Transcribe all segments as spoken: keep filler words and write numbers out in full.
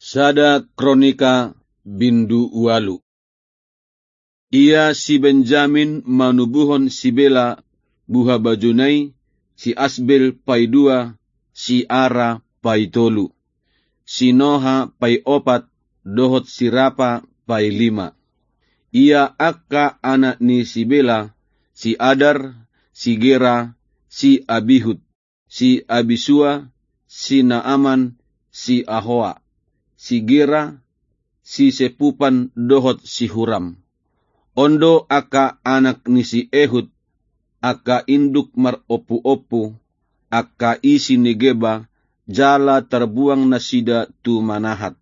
Sada Kronika bindu ualu. Ia si Benjamin manubuhon si Bela buhabajuna i, si Asbel paidua, si Ara paitolu, si Noha paiopat, dohot si Rapa pailima. Ia angka anak ni si Bela, si Adar, si Gera, si Abihud, si Abisua, si Naaman, si Ahoa, si Gera, si Sepupan dohot si Huram. On do angka anak ni si Ehud, angka induk marompuompu, angka isi ni Geba, jala tarbuang nasida tu Manahat.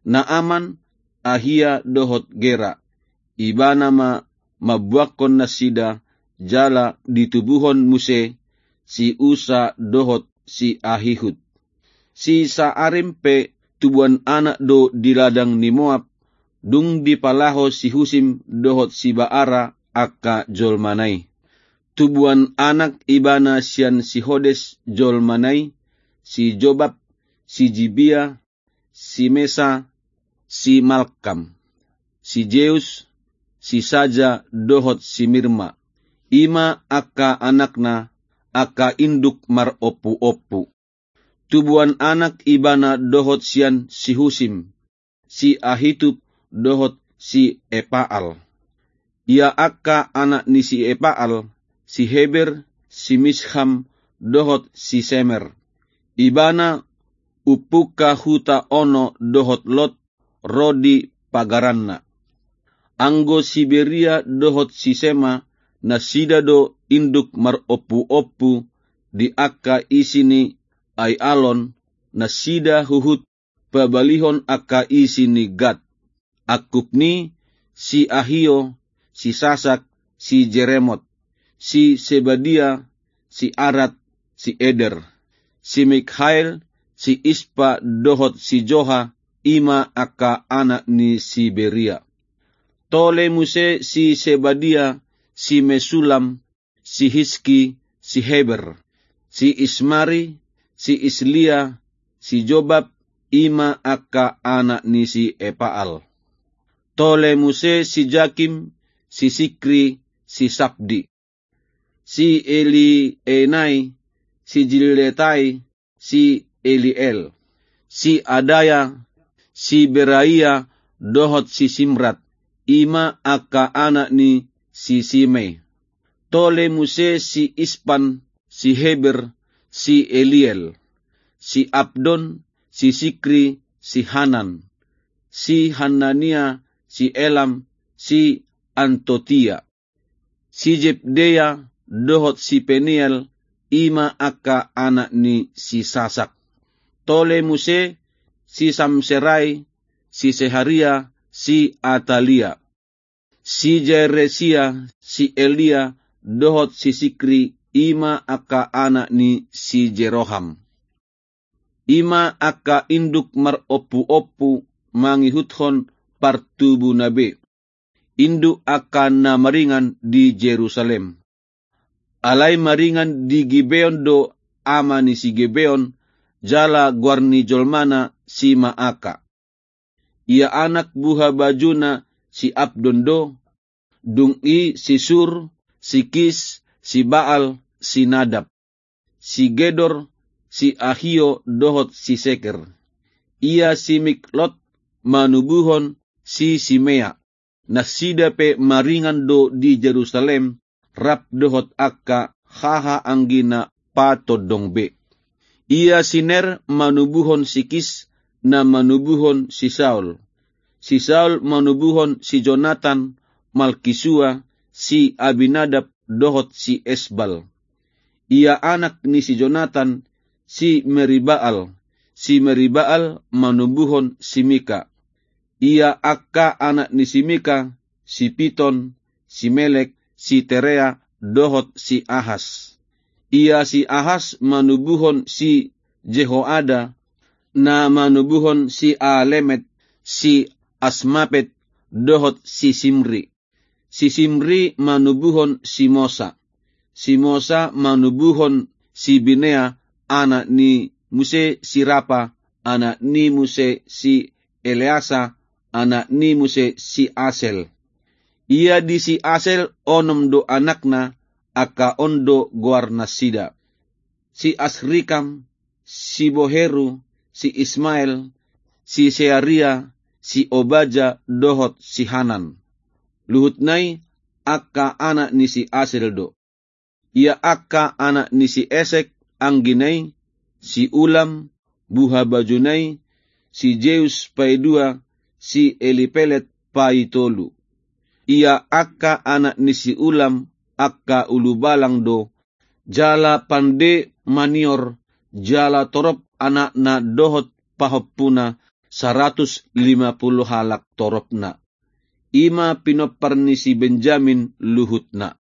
Naaman, Ahia dohot Gera, ibana ma mambuangkon nasida, jala ditubuhon muse si Usa dohot si Ahihud. Si Saarim pe tubuan anak do di ladang ni Moab, dung dipalaho si Husim dohot si Baara angka jolmana i. Tubuan anak ibana sian si Hodes jolmana i, si Jobab, si Jibia, si Mesa, si Malkam, si Jeus, si Saja dohot si Mirma. I ma angka anakna, angka induk marompuompu. Tubuan anak ibana dohot sian si Husim, si Ahitub dohot si Epaal. Ia angka anak ni si Epaal, si Heber, si Misham dohot si Semer. Ibana umpungka huta Ono dohot Lot, ro di pagaranna. Anggo si Beria dohot si Sema, nasida do induk marompuompu di angka isi ni Aialon, nasida huhut pabalihon angka isi ni Gat. Angkup ni si Ahio, si Sasak, si Jeremot, si Sebadia, si Arad, si Eder, si Mikhael, si Ispa dohot si Joha, i ma angka anak ni si Beria. Tole muse si Sebadia, si Mesulam, si Hiski, si Heber, si Ismari, si Islia, si Jobab, i ma angka anak ni si Epaal. Tole muse si Jakim, si Sikri, si Sabdi, si Elienai, si Jiletai, si Eliel, si Adaya, si Beraia, dohot si Simrat, i ma angka anak ni si Simei. Tole muse si Ispan, si Heber, si Eliel, si Abdon, si Sikri, si Hanan, si Hanania, si Elam, si Antotia, si Jebdea, dohot si Peniel, i ma angka anak ni si Sasak. Tole muse si Samserai, si Seharia, si Atalia, si Jaresia, si Elia, dohot si Sikri, i ma angka anak ni si Jeroham. I ma angka induk marompuompu mangihuthon partubuna be, induk angka na maringan di Jerusalem. Alai maringan di Gibeon do ama ni si Gibeon, jala goar ni jolmana si Maaka. Ia anak buhabajuna si Abdon do, dung i si Sur, si Kis, si Baal, si Nadab, si Gedor, si Ahio dohot si Seker. Ia si Miklot manubuhon si Simea. Nasida pe maringan do di Jerusalem, rap dohot angka hahaanggina patondong be. Ia si Ner manubuhon si Kis, na manubuhon si Saul. Si Saul manubuhon si Jonatan, Malkisua, si Abinadab dohot si Esbal. Ia anak ni si Jonatan, si Meribaal. Si Meribaal manubuhon si Mika. Ia angka anak ni si Mika, si Piton, si Melek, si Terea, dohot si Ahas. Ia si Ahas manubuhon si Jehoada, na manubuhon si Alemet, si Asmapet, dohot si Simri. Si Simri manubuhon si Mosa. Si Mosa manubuhon si Binea, anak ni muse si Rapa, anak ni muse si Eleasa, anak ni muse si Asel. Ia di si Asel onom do anakna, angka on do goarnasida: si Asrikam, si Boheru, si Ismael, si Searia, si Obaja dohot si Hanan. Luhutna i angka anak ni si Asel do. Ia angka anak ni si Esek anggina i: si Ulam, buhabajuna i, si Jeus paidua, si Elipelet paitolu. Ia angka anak ni si Ulam angka ulubalang do, jala pande manior, jala torop anakna dohot pahompuna, saratus lima pulu halak toropna. I ma pinompar ni si Benjamin luhutna.